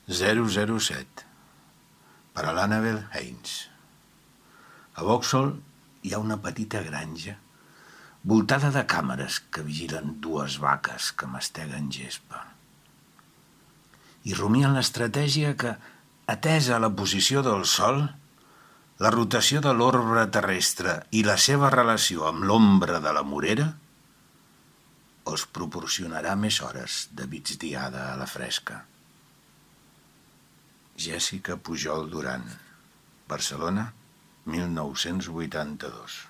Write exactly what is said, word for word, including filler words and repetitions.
zero zero set per a l'Annabel Haynes. A Vauxhall hi ha una petita granja voltada de càmeres que vigilen dues vaques que masteguen gespa. I rumien l'estratègia que, atesa la posició del Sol, la rotació de l'orbe terrestre i la seva relació amb l'ombra de la morera, els proporcionarà més hores de migdiada a la fresca. Jessica Pujol Duran, Barcelona, mil nou-cents vuitanta-dos.